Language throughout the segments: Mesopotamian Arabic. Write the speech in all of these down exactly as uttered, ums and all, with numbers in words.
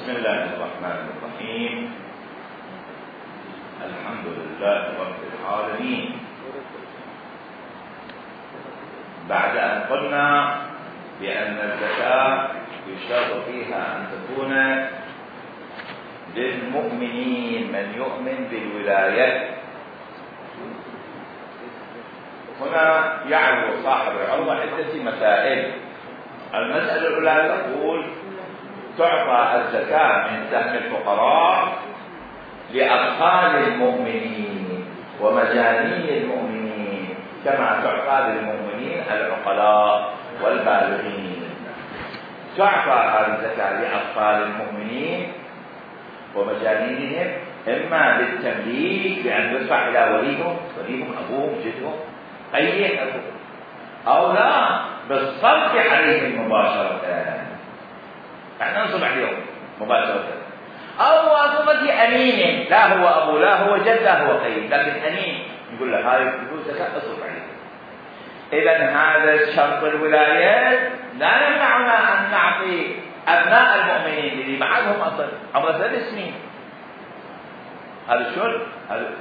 بسم الله الرحمن الرحيم. الحمد لله رب العالمين. بعد أن قلنا بأن الزكاة يشترط فيها أن تكون للمؤمنين من يؤمن بالولاية، هنا يعرض صاحب العروة عدة مسائل. المسألة الأولى تقول تعطى الزكاة من سهم الفقراء لأطفال المؤمنين ومجانين المؤمنين كما تعطى للمؤمنين العقلاء والبالغين. تعطى هذه الزكاة لأطفال المؤمنين ومجانينهم إما بالتمليك بأن يدفع إلى وليهم، وليهم أبوهم جدهم أي أبوهم، أو لا بالصرف عليهم مباشرة، احنا نصب عليهم مباشرة، أو واسطة أمين، لا هو أبو لا هو جد لا هو قيم، لكن أمين يقول له هذه الفلوس زكاة اصرف عليهم. إذا هذا الشرط الولايات لا يمنعنا أن نعطي أبناء المؤمنين اللي بعدهم أصل عمر ثلاث سنين، هذا الشرط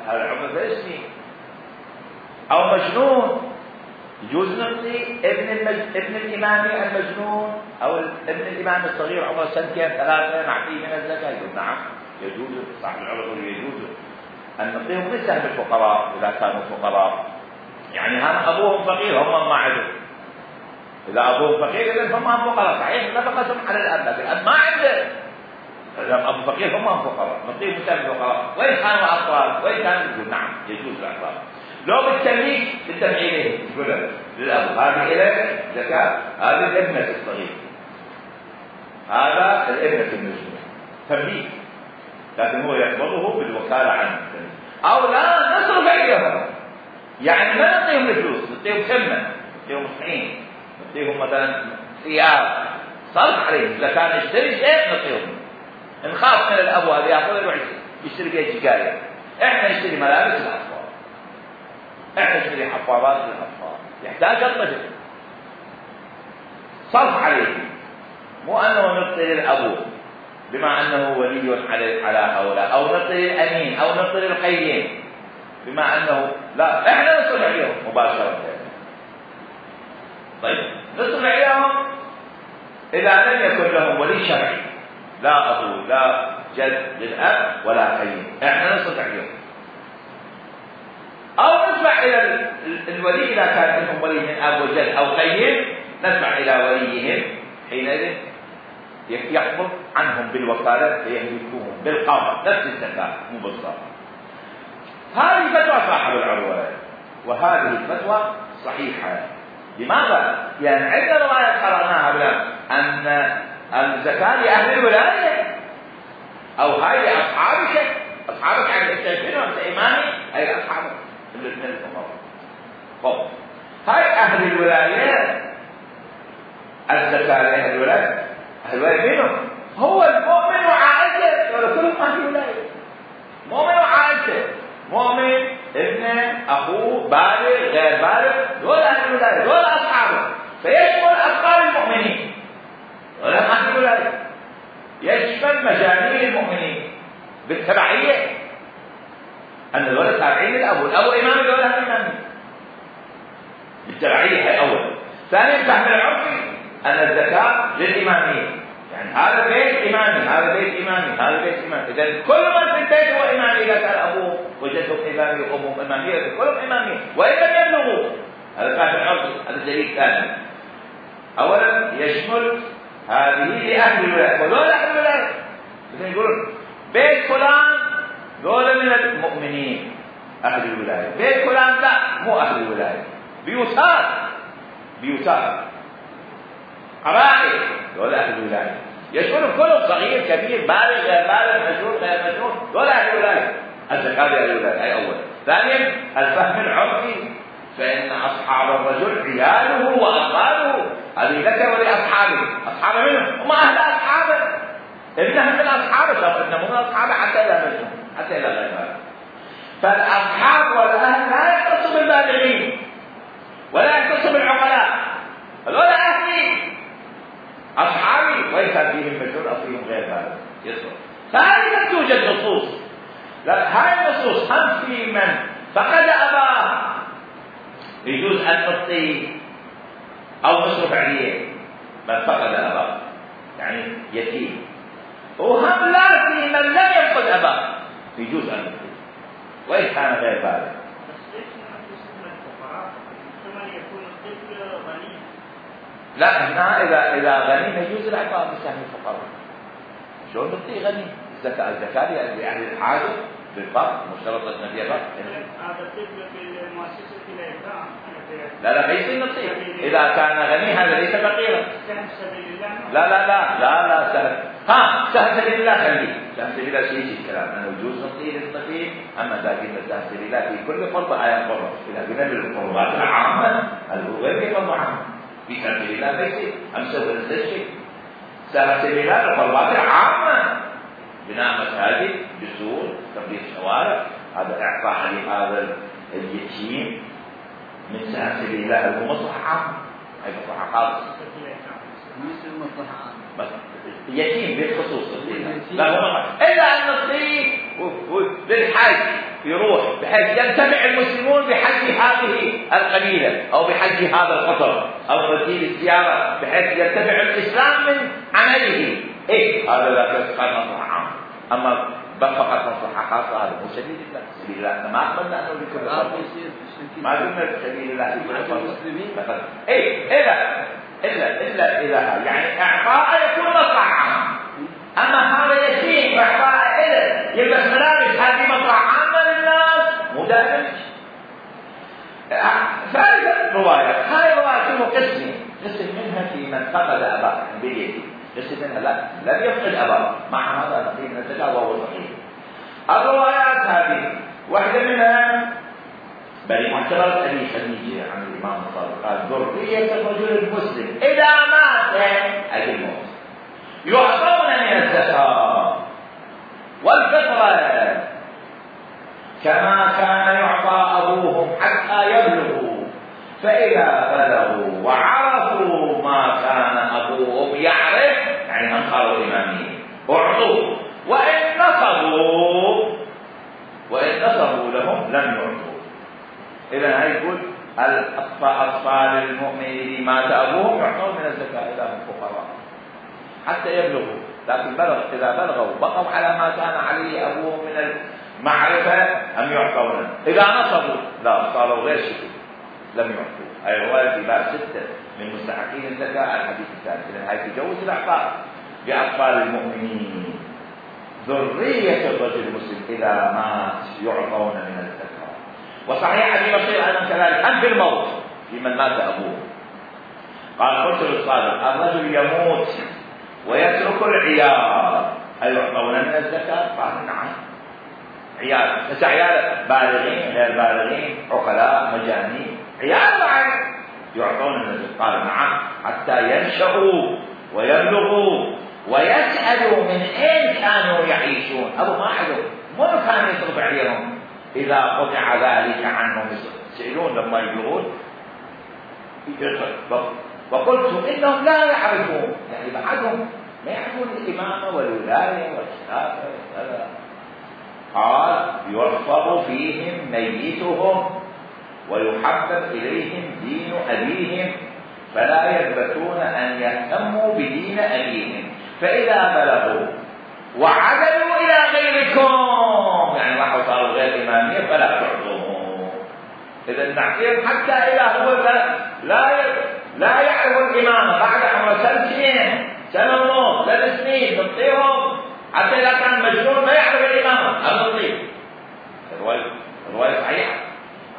هذا عمر ثلاث سنين، أو مجنون يجوز نعطي ابن المج... ابن الإمام المجنون أو ابن الإمام الصغير عمره سنتين ثلاثة نعطيه من الزكاة. يقول نعم يجوز، صاحب العمر يجوز أن نعطيهم من سهم الفقراء إذا كانوا فقراء، يعني هم أبوهم فقير هم ما عندهم، إذا أبوهم فقير إذا هم فقراء صحيح نفقتهم على الأب، لكن الأب ما عنده، إذا أبو فقير هم فقراء نعطيهم من سهم الفقراء. وإن كانوا أطفال وإن كانوا يقول نعم يجوز الأطفال. لو بالتمليك بالدفع إليه يقول للأب هذه إليه زكاة، هذه الابنة الصغير، هذا الابنة المجنون تمليك، لكن هو يقبضه بالوكالة عنه. أو لا نصرف عليهم، يعني ما نعطيهم الفلوس، نعطيهم خدمة، نعطيهم طحين، نعطيهم مثلا ثياب، صرف عليهم. إذا كان يشتري شيء نعطيهم، نخاف من الأب هذا يأخذ يروح يشتري بيت جاية، إحنا نشتري ملابس الأطفال، احنا نشتري حفاظات للاطفال، يحتاج الطفل صرف عليه، مو انه نعطي للابو بما انه ولي على على هؤلاء، او نعطي للامين او نعطي للقيم بما انه لا، احنا نصرف عليهم مباشره. طيب نصرف عليهم اذا لم يكن لهم ولي شرعي، لا ابو لا جد للاب ولا قيم، احنا نصرف عليهم. أو ندفع إلى الولي إذا كان منهم ولي من أب وجد أو قيم، ندفع إلى وليهم حينئذ يقبض عنهم بالوكالة فيملكوهم بالقبض نفس الزكاة مو بالصرف. هذه فتوى صاحب العروة، وهذه الفتوى صحيحة. لماذا؟ لأن يعني عندنا رواية قرأناها بلا أن الزكاة لأهل الولاية، أو هاي لأصحابك، أصحابك عن الشيخين وأنت إمامي أي أصحابك الاثنين الفقراء. طب هاي أهل الولايات، الزكاة لأهل الولاية، أهل الولاية منهم هو المؤمن وعائلته، ولا كلهم أهل الولاية، مؤمن وعائلته، مؤمن ابنه أخوه بالغ غير بالغ، دول أهل الولاية، دول أصحابه، فيشمل أطفال المؤمنين دول أهل الولاية، يشمل مجانين المؤمنين بالتبعية، أن الولد تابعين للأب، والأب إمام الولد إمامي بالتبعية. هي أول. ثانيا فهم العرفي أن الزكاة للإمامية، يعني هذا بيت إمامي هذا بيت إمامي هذا بيت إمامي، إذا كل من في البيت هو إمامي، إذا كان أبوه وجدهم إمامي وأمهم إمامية كلهم إمامية، وإن لم يبلغوا. هذا فهم العرفي، هذا دليل ثاني. أولا يشمل هذه لأهل الولاية، ودول أهل الولاية، مثل يقولون بيت فلان دول من المؤمنين أهل الولاية، بيت فلان لا مو أهل الولاية، بيوتات بيوتات قبائل دول أهل الولاية، يشمل كل صغير كبير بالغ غير بالغ مجنون غير مجنون، دول أهل الولاية. الزكاة لأهل الولاية هي أول. ثانيا الفهم العرفي، فإن أصحاب الرجل عياله وأطفاله، هذه لك ولأصحابه، أصحابه منهم هم أهل أصحابه، ابنهم من أصحابه، طب ابنهم من أصحابه حتى إلى مجنون حتى إلى غير ذلك. فالأصحاب والأهل لا يختص بالبالغين ولا يختص بالعقلاء، هذول أهلي أصحابي وإن كان فيهم مجنون أو فيهم غير ذلك يصبر. فهذه لم توجد نصوص. لا هاي النصوص هم في من فقد أباه يجوز أن نعطيه أو نصرف عليه من فقد أباه يعني يتيم، وهم لا في من لم يفقد أباه يجوز أن نعطيه وإن كان غير ذلك. لا هنا إذا إذا غني يجوز الإعطاء بسهم الفقراء. شلون نعطيه غني؟ الزكاة الزكاة يعني الحاجة بالفرق مشترطة أن فيها فرق. هذا الطفل في المؤسسة الإيتام. لا لا ما يصير نعطيه إذا كان غني هذا ليس فقيرا. سهم سبيل الله. لا لا لا لا لا سهم ها سهم سبيل الله خليه سهم سبيل الله شيء شيء كلام أنه يجوز نعطيه للطفل. أما لكن سهم سبيل الله في كل قربة آية قربة إذا قلنا بالقربات العامة الغير يقرب عامة في سهم سبيل الله ما يصير أمسه ولا شيء. سهم سبيل الله القربات العامة بناء مساجد جسور تنظيف شوارع هذا إعطاء لهذا اليتيم من سهم سبيل الله هو مصلحة عامة هي مصلحة خاصة مثل مصلحة عامة يتيم بالخصوص لا هو إلا أن نصيب للحج يروح بحيث ينتفع المسلمون بحج هذه القبيلة أو بحج هذا القطر أو ترتيب الزيارة بحيث ينتفع الإسلام من عمله. إيه هذا لا تسقط مصلحة عامة. أما فقط مصلحة خاصة هذا مو سبيل الله. سبيل الله ما أقبلنا أنه لكل فرد ما قلنا سبيل الله لكل فرد. إيه إلا إلا إلا إلا يعني إعطاء يكون مصلحة عامة. أما هذا يتيم وإعطاء إله يلبس ملابس هذه مصلحة عامة للناس مو دائما. ثالث رواية هاي رواية قسم قسم منها في من فقد أباه باليتيم قسم منها لا لم يفقد أباه مع هذا نقيم من الزكاة وهو صحيح. الروايات هذه واحدة منها بل معتبرة أبي خديجة عن الإمام الصادق قال ذرية الرجل المسلم إذا مات أجل الموت يعطون من الزكاة والفطرة كما كان يعطى أبوهم حتى يبلغوا فإذا بلغوا وعرفوا ما كان أبوهم يعرف يعني من قالوا إمامين أعطوا وإن نصبوا وإن نصبوا لهم لم يعطوا. إذا يقول الأطفال المؤمنين مات أبوهم يعطون من الزكاة إذا هم فقراء حتى يبلغوا لكن بلغ إذا بلغوا بقوا على ما كان عليه أبوهم من المعرفة أم يعطون. إذا نصبوا لا صاروا غير شيء لم يعطوا. أي رواية في باب ستة من مستحقين الزكاة الحديث الثالث. إذن هاي تجوز الأعطاء لأطفال المؤمنين ذرية الرجل المسلم إذا مات يعطون من الزكاة. وصحيح أبي بصير أيضا كذلك أم في الموت في من مات أبوه قال قلت للصادق الرجل يموت ويترك العيال هل يعطون من الزكاة؟ قال نعم عيال بس عيال بالغين غير بالغين عقلاء مجانين عيال بعد يعطون من الزكاة. قال نعم حتى ينشأوا ويبلغوا ويسألوا من أين كانوا يعيشون. أبو ما حدث ما كان يصرف عليهم إذا قطع ذلك عنهم يسألون لما يبلغون. وقلت إنهم لا يعرفون يعني بعدهم ما يعرفون الإمامة والولاية والخلافة. قال يحفظ فيهم ميتهم ويحبب إليهم دين أبيهم فلا يثبتون أن يهتموا بدين أبيهم فإذا بلغوا وعدلوا إلى غيركم يعني راحوا صاروا غير إمامية فلا تعطوهم. إذا نعطيهم حتى إذا هو لا لا, لا يعرف الإمامة بعد عمر سنتين سنة ونص ثلاث سنين نعطيهم حتى إذا كان مجنون ما يعرف الإمامة هذا نعطيه. الرواية الرواية صحيحة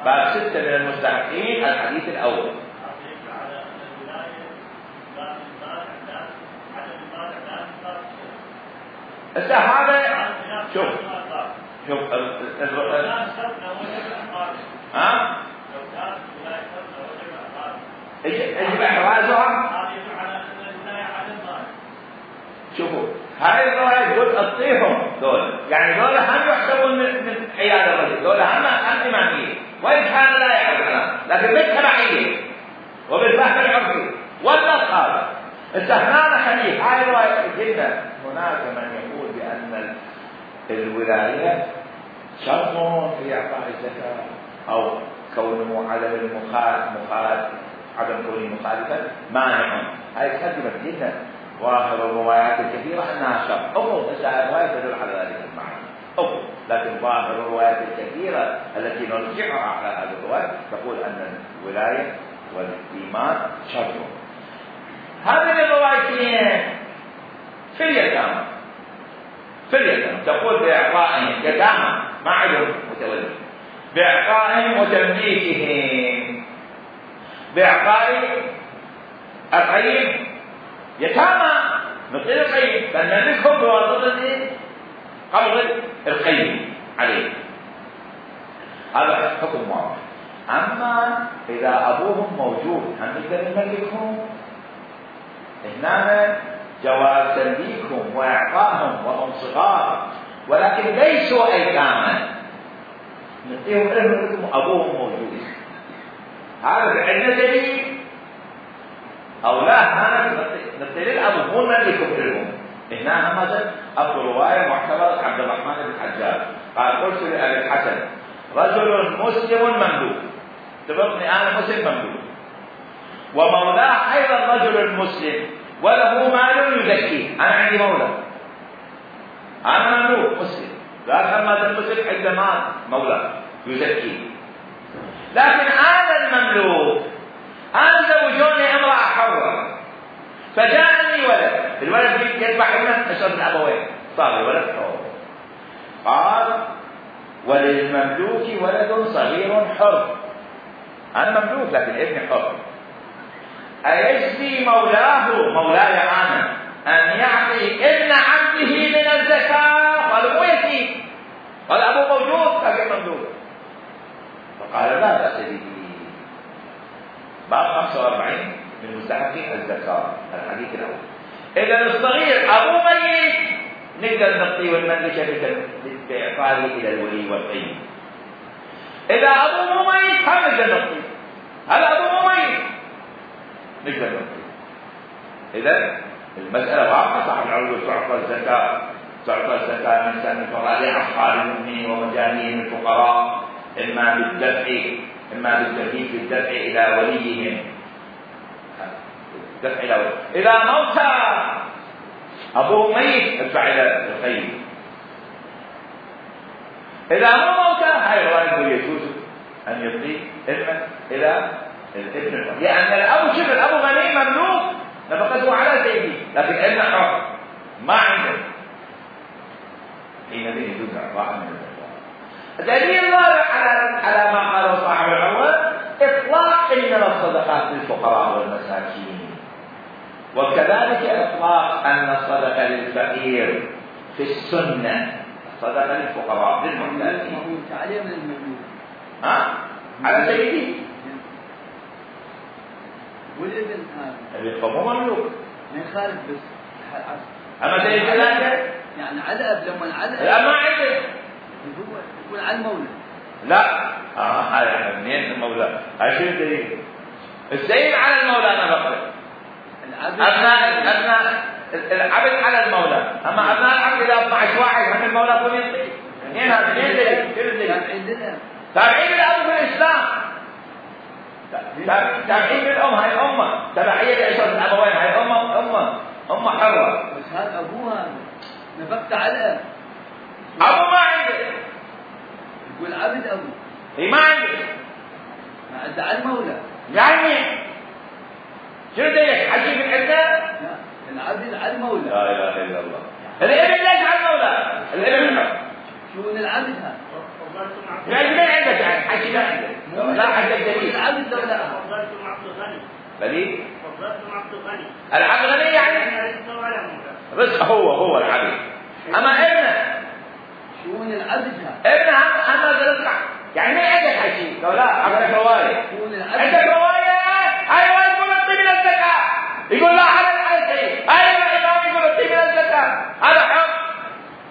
باب ستة من المستحقين الحديث الأول. هذا شوف شوف ها يجب احرازها. شوفوا هاي الرواية تقول اطيهم دول يعني دول هم يحسبون من عيال الرجل دول هم هم إمامية وإن كان لا يعرف عنها لكن بالتبعية وبالفهم العرفي والنص هذا انت هنا خليل هاي رواية قلنا هناك من يقول بأن الولاية شرط في إعطاء الزكاة أو كونه عدم المخالف مخالف عدم كونه مخالفا مانع. هاي كذبت جدا. ظاهر الروايات الكثيرة أنها شرط. أو الروايات تدل على ذلك المعنى. أو لكن ظاهر الروايات الكثيرة التي نرجعها على هذه الروايات تقول أن الولاية والإيمان شرط. هذه الروايتين في اليتامى في اليتامى تقول بإعطائهم يتامى ما عندهم متولد، بإعطائهم وتمليكهم، بإعطاء القيم يتامى مثل القيم فنملكهم بواسطة قبض القيم عليه. هذا حكم واضح. أما إذا أبوهم موجود هم نقدر نملكهم؟ هنا جواز تمليكهم وإعطائهم وهم صغار ولكن ليسوا أيتاما، نعطيهم لهم أبوهم موجود. هذا عندنا دليل أو لا؟ هذا نعطي للأبو مو نملكهم لهم. هنا مثلا أبو رواية معتبر عبد الرحمن بن حجاج قال قلت لأبي الحسن رجل مسلم مملوك، تبقني أنا مسلم مملوك ومولاه أيضا رجل مسلم وله مال يزكيه. أنا عندي مولى أنا مملوك مسلم لا هذا المسلم عنده مال مولى يزكيه، لكن هذا المملوك أنا زوجوني امرأة حرة فجاءني ولد، الولد يذبح ابنه نشر الأبوين صار الولد حر. قال وللمملوك ولد صغير حر، أنا مملوك لكن ابني حر، أيجزي مولاه مولاي أنا أن يعطي ابن عبده من الزكاة؟ قال مو يتيم، قال أبو موجود لكن مملوك. فقال لا بأس به. باب خمسة وأربعين من مستحقي الزكاة الحديث الأول. إذا الصغير أبو ميت نقدر نعطيه والمملكة بإعطائه إلى الولي والقيم. إذا أبو مو ميت هم نقدر نعطيه، هذا أبو مو ميت نقدر نعطيه. إذا المسألة واضحة. صاحب العروض تعطى الزكاة تعطى الزكاة من سن الفقراء لأصحاب المؤمنين ومجانين الفقراء، إما بالدفع إما بالترتيب في الدفع إلى وليهم، دفع إلى وليهم. إذا موت أبوه ميت ادفع إلى القيم. إذا مو موت هاي الرواية يجوز أن يعطي ابنه إلى الابن، لأن الأب شبه الأب غني مملوك نفقته على سيده لكن ابنه حر ما عنده، حينئذ يجوز إعطاء من الزكاة. دليل رابع على على ما قاله صاحب العروة إطلاق من الصدقات للفقراء والمساكين، وكذلك إطلاق أن الصدقة للفقير في السنة، صدقة للفقراء للمحتاجين. عليه من المملوك ها؟ على سيدي والابن هذا مو مملوك ما يخالف بس أما سيدي ثلاثة يعني على أب لما على لا ما عنده هو يكون على المولى. لا اه هذا منين المولى؟ هاي شو الدليل؟ السيد على المولى انا بقول ابناء ابناء العبد على المولى، اما ابناء العبد اذا اثني عشر واحد هم المولى كل يعطي. منين هذا؟ منين دليل؟ شو الدليل؟ تابعين الاب في الاسلام، تابعين بالام، هاي امه تبعيه لعشره الابوين، هاي امه امه امه حره بس هذا ابوها نفقت على ابو ما عنده، يقول عبد ابو اي ما عنده ما عنده على المولى يعني شو دليل؟ حكي من عنده؟ لا العبد على المولى. لا اله الا الله. الابن ليش على المولى؟ الابن شو العبد هذا؟ يعني ما عندك يعني حكي ما عندك لا عندك دليل. العبد لو لا فضلتم عبد الغني دليل؟ فضلتم عبد الغني العبد غني يعني رزق هو هو العبد، اما ابنه شون العبد هذا؟ ابنه اما رزق يعني ما عندك حكي لو لا عندك روايه، شون العبد عندك روايه ايوه يقول اعطي من الزكاه، يقول لا على الحيث ايوه الامام يقول اعطي من الزكاه هذا حق،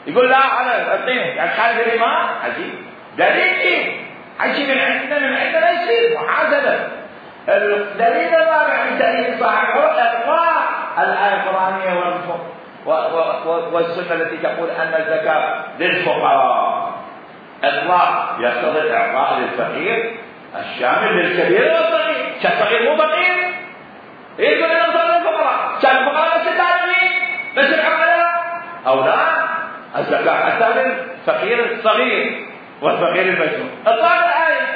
يقول لا على اعطيني يعني خالف الامام. عجيب دليل حكي من عندنا من عندنا يصير محاسبه. الدليل الرابع من دليل صاحب اطلاق الآية القرآنية والسنة التي تقول أن الزكاة للفقراء إطلاق يقتضي الإعطاء للفقير الشامل للكبير والصغير. كالصغير مو فقير يقول أنا أصل للفقراء، كان الفقراء بس التعليمين بس العملاء أو لا، الزكاة حتى للفقير الصغير والفقير المجنون. إطلاق الآية.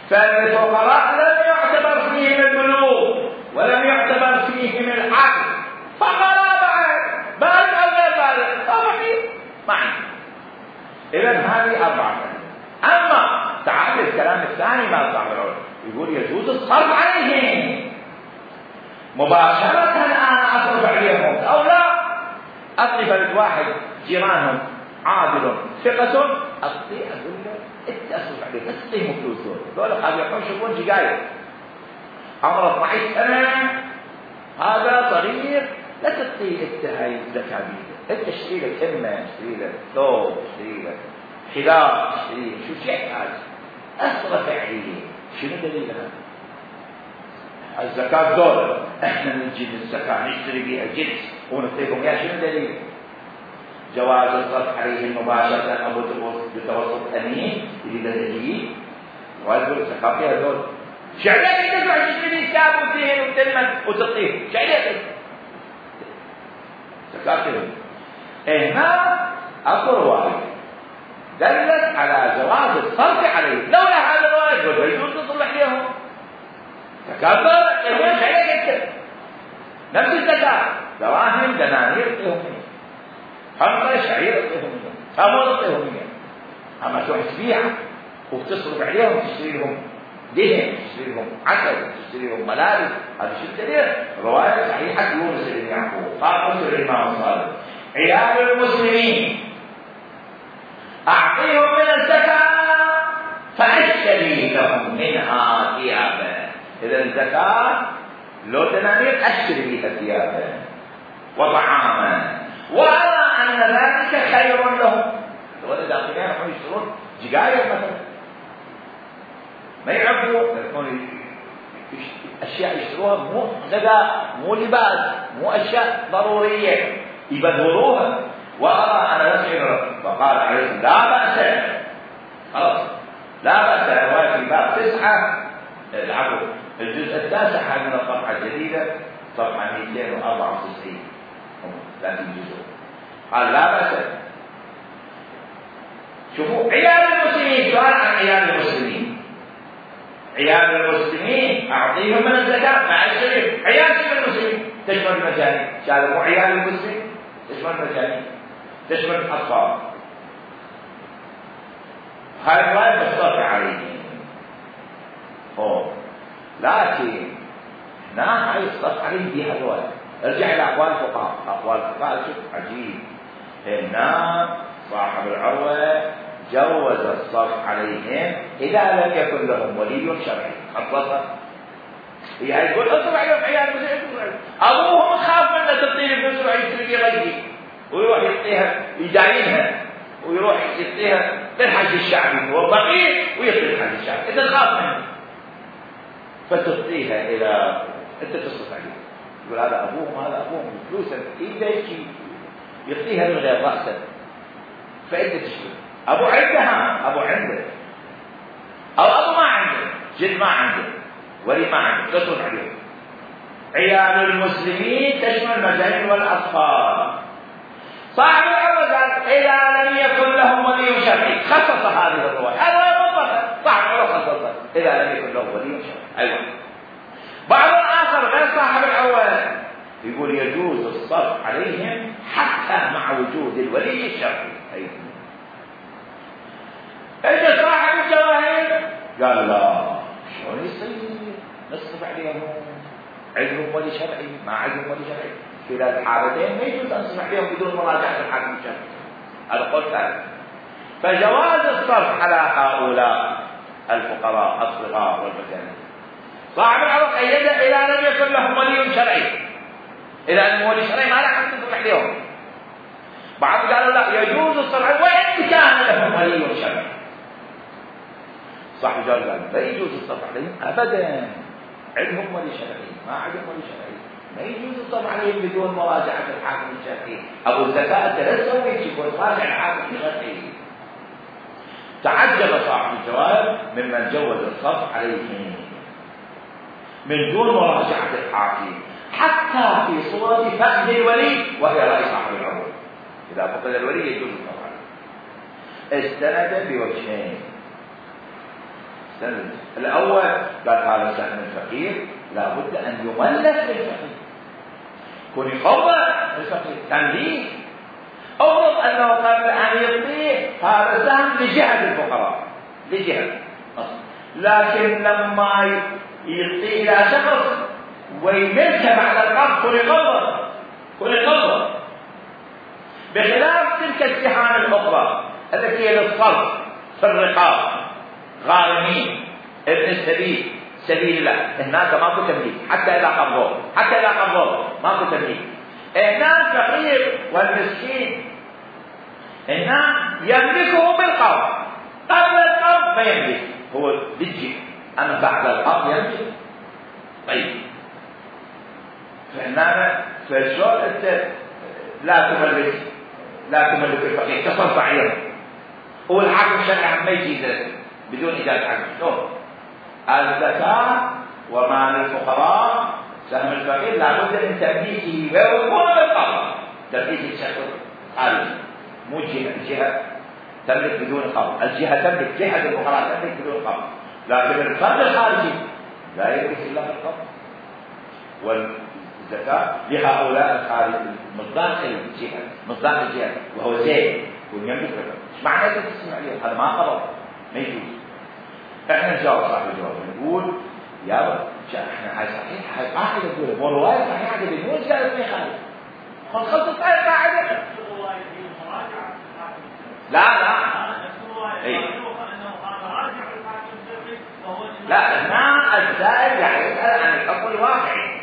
فالفقراء لم يعتبر فيهم البلوغ ولم يعتبر فيهم العقل، فقراء بعد بالغ أو غير بالغ فقير معنا. إذا هذه أربعة. أما تعال الكلام الثاني ما صاحب العلم يقول يجوز الصرف عليهم مباشرة. أنا أصرف عليهم أو لا، أصرف لواحد جيرانهم عادل ثقة أصلي أقول له أنت أصرف عليه بس تعطيهم فلوس دول دول قاعد يقوم يشوفون جيجاير عمره اثني عشر سنة، هذا صغير لا تعطيه أنت هاي الزكاة بيده، أنت اشتري له كمة، اشتري له ثوب، اشتري له حذاء، اشتري له شو شيء هذا أصرف عليه. شنو دليلها؟ الزكاة دول احنا نجيب الزكاة نشتري بها جنس ونعطيكم اياه، شنو دليل؟ جواز الصرف عليهم مباشرة أو بتوسط أمين إذا دليل جواز الزكاة فيها دول. شعلك تدفع تشتري كتاب وتهن وتلمن وتعطيه، شعلك زكاة فيهم. هنا أكو رواية دلت على جواز الصرف عليهم، لولا هذا الرواية يجوز تصلح لهم زكاة دول يقول شعلك انت نفس الزكاة دراهم دنانير تعطيهم خمسة شعير تعطيهم ثمر تعطيهم أما تروح تبيع وتصرف عليهم تشتري لهم دهن، تشتري لهم عسل، تشتري لهم ملابس، هذا شو الدليل؟ رواية صحيحة يونس بن يعقوب قال قلت الإمام الصادق عيال المسلمين أعطيهم من الزكاة فأشتري لهم منها ثيابا. إذا الزكاة لو دنانير أشتري بها ثيابا وطعاما، وأرى أن ذلك خير لهم. إذا أخذين هم يشترون جقاير مثلا ما يعرفوا يكون أشياء يشتروها مو غذاء مو لباس مو أشياء ضرورية يبذروها، وأرى أن ذلك. فقال عليه لا بأس، خلاص لا بأس. رواية في باب تسعة العفو الجزء التاسع من الصفحة الجديدة صفحة مئتين وأربعة وتسعين ثلاثين جزء قال لا بأس. شوفوا عيال المسلمين، سؤال عن عيال المسلمين. عيال المسلمين أعطيهم من الزكاة مع الشريف. عيال المسلمين تشمل المجانين، هذا مو عيال المسلمين تشمل المجانين تشمل الأطفال. هاي الرواية مصطفى عليهم. أوه لكن هنا هاي الصف عليهم بها الرواية. ارجع إلى أقوال الفقهاء. أقوال الفقهاء شوف عجيب. هنا صاحب العروة جوز الصرف عليهم إذا لم يكن لهم ولي شرعي. خلصت هي يقول اصرف عليهم عيال المسلمين، أبوهم خاف منه تعطيه فلوس ويروح يشتري غيري ويروح يعطيها يداينها ويروح يعطيها للحج الشعبي، هو فقير ويعطي الحج الشعبي إذا خاف منه، فتعطيها إلى أنت تصرف عليه. يقول هذا أبوهم هذا أبوهم فلوسا إذا يجي يعطيها من غير رأسا فأنت تشتري. أبو عندها أبو عنده أو أبو ما عنده جد ما عنده ولي ما عنده تصرف عليه. عيال المسلمين تشمل المجانين والأطفال. صاحب العروة قال إذا لم يكن لهم ولي شرعي خصص هذه الرواية. هذا مطلقا صاحب العروة خصص إذا لم يكن لهم ولي شرعي. أيوة. بعض الآخر غير صاحب العروة يقول يجوز الصرف عليهم حتى مع وجود الولي الشرعي. أيوة. إذا صاحب الجواهر قال لا شلون يصير نصرف عليهم عندهم ولي شرعي ما عندهم ولي شرعي. في ذات الحالتين ما يجوز أن نصرف عليهم بدون مراجعة الحاكم الشرعي. هذا قول ثالث. فجواز الصرف على هؤلاء الفقراء الصغار والمساكين. صاحب العروة قيد إذا لم يكن لهم ولي شرعي. إذا لم ولي شرعي ما لك تصرف عليهم. بعض قالوا لا يجوز الصرف وإن كان لهم ولي شرعي. صاحب الجواب قال لا يجوز الصرف عليهم أبدا، عندهم ولي شرعي ما عندهم ولي شرعي ما يجوز الصرف عليهم بدون مراجعة الحاكم الشرعي. أبو الزكاة أنت لا تسوي شيء وتراجع الحاكم الشرعي. تعجب صاحب الجواب ممن جوز الصرف عليهم من دون مراجعة الحاكم حتى في صورة فقد الولي وهي رأي صاحب العمر. إذا فقد الولي يجوز الصرف عليه. استند بوجهين. استند الأول قال هذا سهم الفقير لا بد أن يملك للفقير، كون يخضع للفقير تمليك. أفرض أنه قبل أن يعطيه هذا سهم لجهة الفقراء لجهة أصلا، لكن لما يعطيه إلى شخص ويملكه بعد القبض كون يقبض كون يقبض بخلاف تلك السهام الأخرى التي هي للصرف في الرقاب غارمين ابن السبيل سبيل الله. هناك ماكو تمليك حتى إذا قبضوه حتى إذا قبضوه ماكو تمليك. هناك فقير والمسكين هناك يملكه بالقبض، قبل القبض ما يملك هو للجهة، أما بعد القبض يملك. طيب فهنا فشو أنت لا تملك لا تملك الفقير تصرف عليه والحاكم الشرعي ما يجي بدون إجازة حاكم. شلون؟ الزكاة ومال الفقراء سهم الفقير لابد من تمليكه ويكون بالقبض. تمليك الشخص خارجي مو جهة، الجهة تملك بدون قبض، الجهة تملك جهة الفقراء تملك بدون قبض، لكن الفرد الخارجي لا يملك إلا بالقبض. والزكاة لهؤلاء الخارج مصداق الجهة مصداق الجهة وهو زين ويملك بالقبض. ايش معنى تسمع عليه؟ هذا ما قبض ما يجوز. احنا نجاوب صاحب الجواب نقول يا رب احنا هاي صحيح هاي قاعده تقول مو روايه صحيحه قبل مو قالت لي خالد خل خلصت هاي قاعده لا لا اي لا هنا السائل يعني يسال عن الحكم الواقعي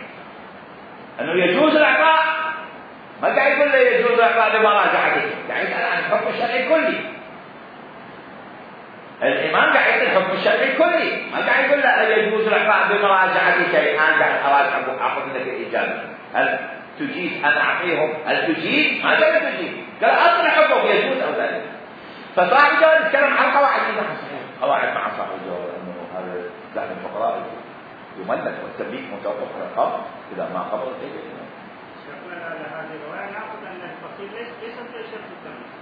انه يجوز الاعطاء، ما قاعد يقول له يجوز الاعطاء بمراجعته، قاعد يسال عن الحكم الشرعي الكلي. الإمام قاعد يقول الحكم الشرعي الكلي، ما قاعد يقول لا يجوز الإعطاء بمراجعة شيء. أنا قاعد أراجع أخذ لك الإجابة، هل تجيز أن أعطيهم؟ هل تجيز؟ ما قال تجيز، قال أصل الحكم يجوز أو لا. فصاحب الجواب يتكلم عن قواعد قواعد مع صاحب الجواب أنه هذا سهم الفقراء يملك والتمليك متوقف على القبض إذا ما قبض شيء. شكرا على هذه الرواية نأخذ أن الفقير ليس ليس شرط التمليك.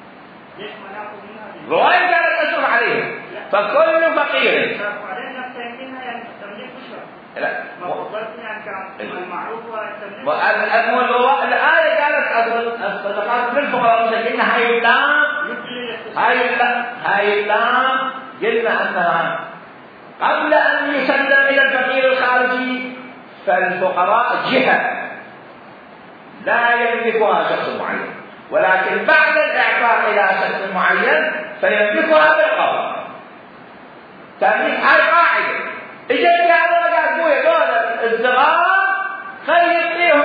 ليش ما نأخذ منها هذه؟ رواية قالت أشرف عليهم فكل فقير شرط عليه نفسه منها يعني التمليك بشرط. لا ما قبلت يعني كان المعروف هو التمليك. الآية قالت الصدقات للفقراء قلنا هاي اللام هاي اللام هاي اللام قلنا أنها قبل أن يسلم إلى الفقير الخارجي فالفقراء جهة لا يملكها شخص معين، ولكن بعد الإعطاء إلى شخص معين فيملكها بالقبض. تمليك هاي قاعدة. إجت هذا قاعد بويا دول الصغار خلي يعطيهم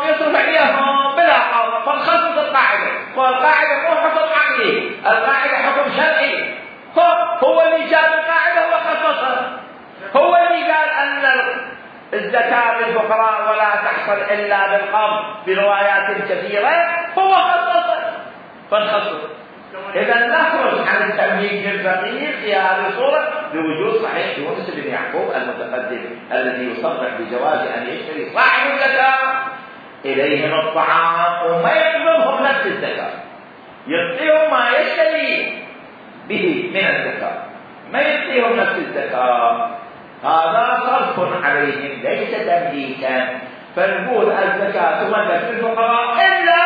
يصرف عليهم بلا قبض، فنخصص القاعدة، والقاعدة مو حكم عقلي، القاعدة حكم شرعي. هو اللي جاب القاعدة هو خصصها، هو اللي قال أن الزكاة للفقراء ولا تحصل إلا بالقبض بروايات كثيرة، هو خصصها فنخصص. إذا نخرج عن التمليك للفقير في هذه الصورة بوجود صحيح يونس بن يعقوب المتقدم الذي يصرح بجواز أن يشتري صاحب الزكاة إليهم الطعام وما يقبضهم نفس الزكاة، يعطيهم ما يشتري به من الزكاة، ما يعطيهم نفس الزكاة. هذا صرف عليهم ليس تمليكا. فنقول الزكاة تملك للفقراء إلا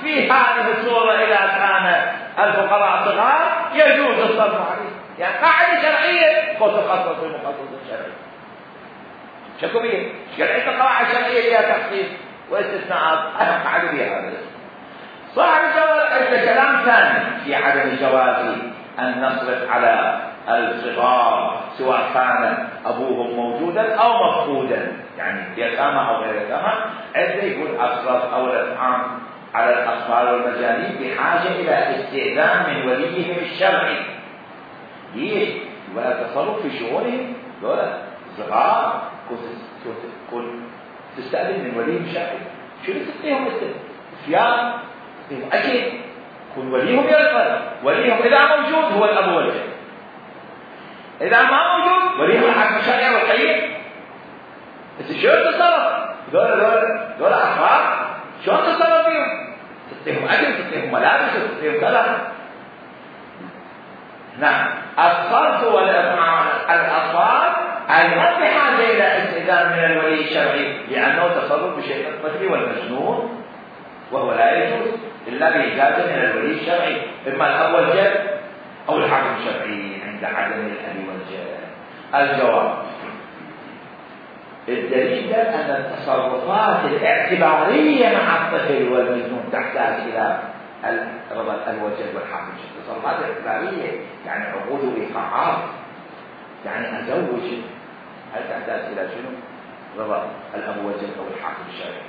في هذه الصورة إذا كان الفقراء صغار يجوز الصرف عليه، يعني قاعدة شرعية وتخصص المخصص الشرعي. شكو بيه؟ شرعية قواعد شرعية لها تخصيص واستثناءات أهم قاعدة بها هذا. صاحب الجواز عنده كلام ثاني في عدم جواز أن نصرف على الصغار سواء كان أبوهم موجودا أو مفقودا، يعني يتامى أو غير يتامى. عنده يقول أصرف أو الإطعام على الأطفال والمجانين بحاجة إلى استئذان من وليهم الشرعي. ليش؟ ولا تصرف في شؤونهم، ولا صغار كل تستأذن من ولي شرعي، شنو تعطيهم انت؟ صيام، تعطيهم اكل، يكون وليهم يرقى، وليهم اذا موجود هو الاب والجد، اذا ما موجود وليهم الحاكم الشرعي والقيم. بس شلون تتصرف؟ دول دول دول اطفال، شلون تتصرف فيهم؟ تعطيهم اكل، تعطيهم ملابس، تعطيهم كذا. نعم، الصرف والاطفال أيضا بحاجة إلى استئذان من الولي الشرعي، لأنه تصرف بشيء الطفل والمجنون وهو لا يجوز إلا بإجازة من الولي الشرعي، إما الأب والجد أو الحاكم الشرعي عند عدم الأب والجد. الجواب: الدليل أن التصرفات الاعتبارية مع الطفل والمجنون تحتاج إلى رضا الوجد والحاكم الشرعي. التصرفات الاعتبارية يعني عقود وإيقاعات، يعني أزوج، هل تحتاج إلى شنو؟ رضا الأب والجد أو الحاكم الشرعي.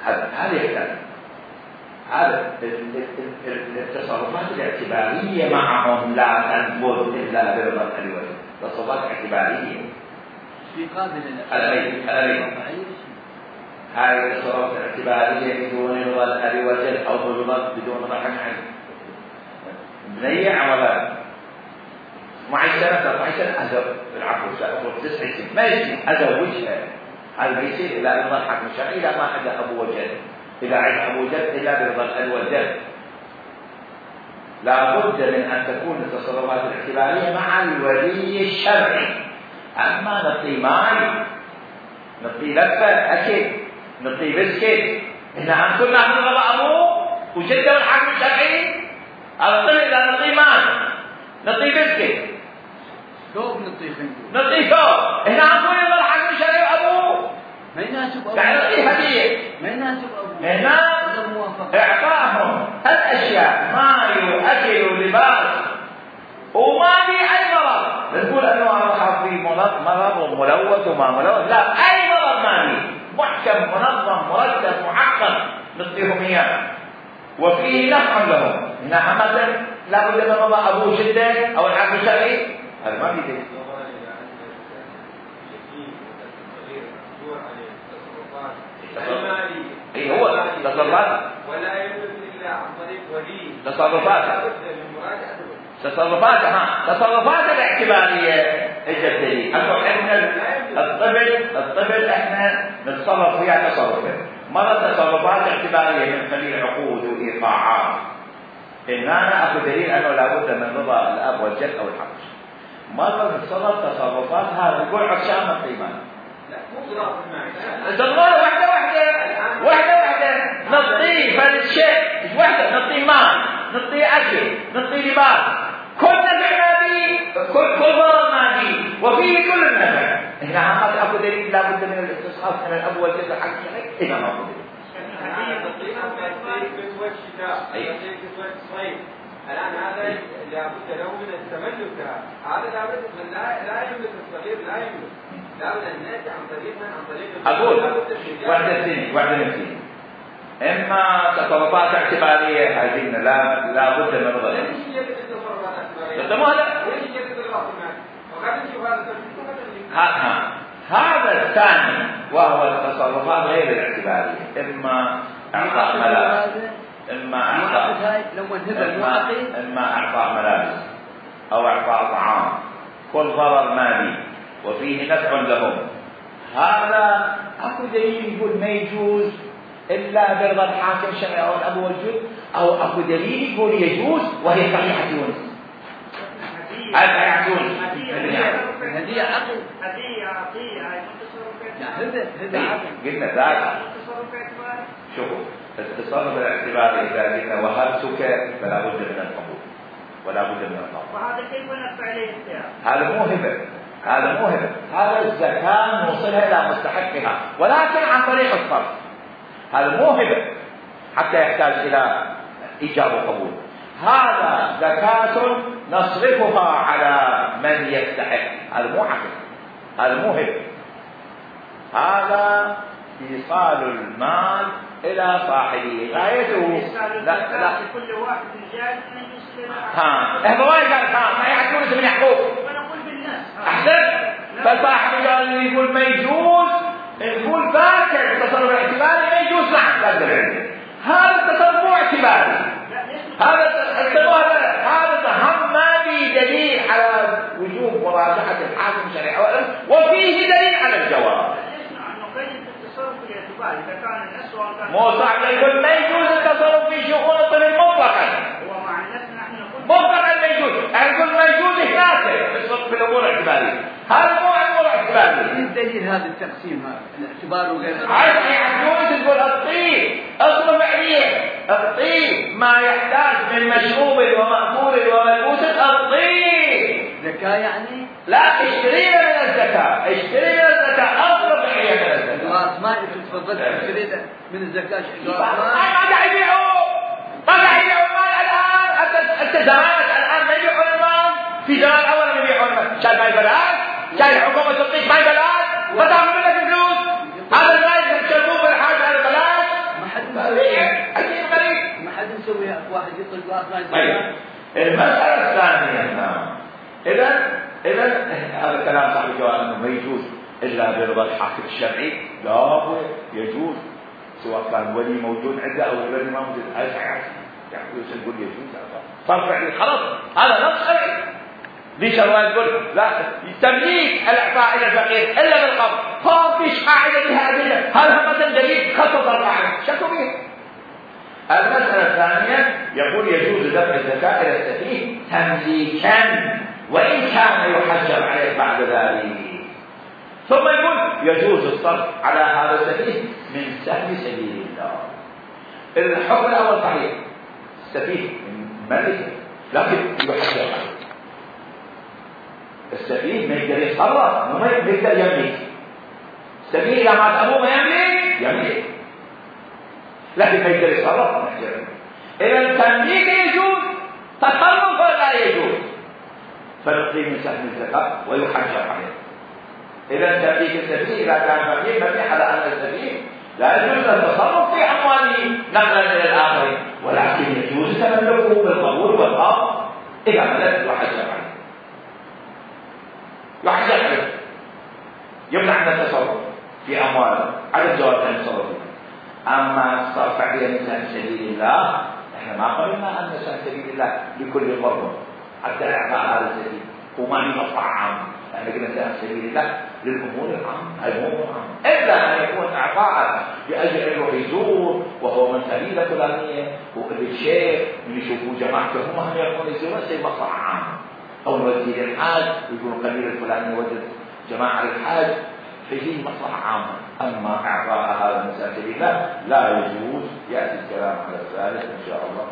هذا هذا يحتاج هذا التصرفات الاعتبارية معهم لا تنفذ إلا برضا الأب والجد. تصرفات اعتبارية في قابل الأبي هذه التصرفات الاعتبارية بدون رضا الأب والجد أو بدون رضا الحاكم. بنية عملات معي سنة معي سنة أزوج العفو سأقول تسع سنين ما يصير أزوجها، هذا بيصير إلى رضا الحاكم الشرعي إذا ما عند أبو وجد، إذا عند أبو وجد إلا برضا الأب والجد. لا بد من أن تكون التصرفات الاعتبارية مع الولي الشرعي. أما نعطي ماي، نعطي لفة أكل، نعطي بسكت، إحنا عم كنا ناخذ رضا أبوه وجده والحاكم الشرعي. الطفل إذا نعطي ماي، نعطي بسكت، ثوب نعطيه خنزير، نعطيه ثوب، هنا عم نقول يظل الحاكم الشرعي وابوه ما يناسب ابوه، يعني نعطيه هديه، ما يناسب ابوه، هنا اعطاهم هالاشياء ماي واكل ولباس وما في اي مرض. نقول انه انا خاف في مرض مرض وملوث وما ملوث، لا، اي مرض ما في، محكم منظم مرتب محقق نعطيهم اياه وفيه نفع لهم. هنا عامة لا بد من رضا ابوه جدا او الحاكم الشرعي، هذا ما في دليل. اي هو تصرفات ولا يجوز الا عن طريق ولي تصرفات تصرفات ها تصرفات الاعتباريه اجت دليل انه احنا الطفل الطفل احنا نتصرف فيها تصرفات، مرة تصرفات اعتباريه من خلال عقود وايقاعات، ان انا اخذ دليل انه لابد من رضا الاب والجد او الحاكم. مرة نتصرف تصرفات هذا نقول عشان القيمان، لا مو ضرب المعنى، تضرب واحدة واحدة واحدة واحدة نعطيه فرد شيء، مش واحدة نعطيه مال، نعطيه أكل، نعطيه لباس، كل نفع مادي، كل كل ضرر مادي وفيه كل النفع. هنا عمال أكو دليل لابد من الاستصحاب من الأب والجد والحاكم الشرعي، هنا ما أكو دليل. الآن هذا لابد له من التملك، هذا لابد من لا لا يملك الصغير، لا يملك، لابد أن نأتي عن طريق عن طريق أقول واحدة اثنين واحدة اثنين، إما تصرفات اعتبارية هذه لا لابد من رضا. ايش هي التصرفات الاعتبارية؟ تمام هذا؟ ايش هي التصرفات المالية؟ وقاعد نشوف هذا التصرف ها هذا الثاني وهو التصرفات غير الاعتبارية، إما إعطاء ملابس، إما إعطاء إما, إما إعطاء ملابس أو إعطاء طعام، كل ضرر مالي وفيه نفع لهم. هذا أكو دليل يقول ما يجوز إلا برضا الحاكم الشرعي أو الأب والجد، أو أكو دليل يقول يجوز وهي صحيحة يونس. هذا يجوز هدية عقل، هدية عطية، هاي تصرف هذا هذا عقل. قلنا ذاك تصرف اعتباري. شوفوا التصرف الاعتباري إذا قلنا وهبتك فلا بد من القبول ولا بد من القبول. وهذا كيف نفع عليه اختيار؟ هذا مو هبة، هذا مو هبة، هذا الزكاة نوصلها إلى مستحقها ولكن عن طريق الصرف. هذا مو هبة حتى يحتاج إلى إيجاب وقبول، هذا زكاة نصرفها على من يستحق. هذا مو عقل، هذا مو هبة، هذا إيصال المال إلى صاحبه غايته. لا لا كل واحد جاهز أن يوصل إلى ها هذا وايد قال ها ما يعرفون من يحقوق. ونقول بالناس أحسن فصاحب الجواب يقول ما يجوز، نقول ذاك التصرف الاعتباري ما يجوز، نعم لا دليل. هذا التصرف مو اعتباري، هذا هذا هذا هم ما في دليل على وجوب مراجعة الحاكم الشرعي، وفيه دليل على الجواب. إذا كان النص وكان مو صعب يقول ما يجوز التصرف في شؤون الطفل مطلقا. هو مع الناس نحن نقول مطلقا ما يجوز، نقول ما يجوز هناك في الامور الاعتباريه. هذا مو امور اعتباريه. ايش دليل هذا التقسيم هذا؟ الاعتبار وغير عايز يجوز تقول الطيب اصل فعليه، الطيب ما يحتاج من مشروب ومأكول وملبوس، الطيب زكاة يعني؟ لا اشترينا من الزكاة، اشتري من الزكاة أصل فعلية من الزكاة. جواز ماء تفضلت اشترينا من الزكاة جواز ما ماء؟ قاعد يبيعوا، ما قاعد يبيعوا المال الآن. أنت أنت زمانك الآن ما يبيعون المال، في زمان أول ما يبيعون المال، شايف ما يبلاش، شايف حكومة تعطيك ما يبلاش، ما تعمل لك فلوس، هذا المال تشربوه بالحاج على البلاش. ما حد مسويها، عجيب غريب. ما حد مسويها، واحد يطلق جواز ماء. طيب المسألة الثانية، إذا إذا هذا كلام صاحب الجواب أنه ما يجوز إلا برضا الحاكم الشرعي، لا يجوز سواء كان ولي موجود عنده أو الولي ما موجود. هذا يعني يقول يجوز صار فعلي خلاص، هذا نص شرعي. ليش الله يقول لا تمليك الإعطاء إلى الفقير إلا بالقبض؟ ما فيش قاعدة بها أدلة، هذا مثلا دليل خصص القاعدة شكوا به. المسألة الثانية يقول يجوز دفع الزكاة إلى السفيه تمليكا وإن كان يحجر عليه بعد ذلك. ثم يقول يجوز الصرف على هذا السفيه من سهم سبيل الله. الحكم الأول صحيح، السفيه ملك لكن يحجر عليه. السفيه ما يقدر يتصرف، ما يقدر يملك. السفيه إذا مات أبوه ما يملك، يملك لكن ما يقدر يتصرف نحجر عليه. إذا التمليك يجوز، تصرف لا يجوز، فنقضي من سهم الزكاة ويحجر عليه. إذا تمليك السفيه إذا كان فقير مبني على أن السفيه لا يجوز التصرف في أمواله نقلا إلى الآخرين، ولكن يجوز تملكه بالقبول والقبض إذا ملك يحجر عليه. يحجر عليه، يمنع من التصرف في أمواله، عدم جواز التصرف. أما الصرف عليه من سهم سبيل الله، إحنا ما قلنا أن سهم سبيل الله لكل قرب حتى إعطاء هذا السبيل وما يقطع عام. احنا قلنا سهم سبيل الله للأمور العامة، الأمور العامة، إلا أن يكون إعطاء لأجل أنه يزور وهو من قبيلة فلانية والشيخ من يشوفوا جماعته هم هم يكون يزورون شيء مصلحة عامة، أو نودي للحاج يكون قبيلة الفلانية وجد جماعة للحاج فيه مصلحة عامة. أما إعطاء هذا من سهم سبيل الله لا يجوز. يأتي الكلام على ذلك إن شاء الله.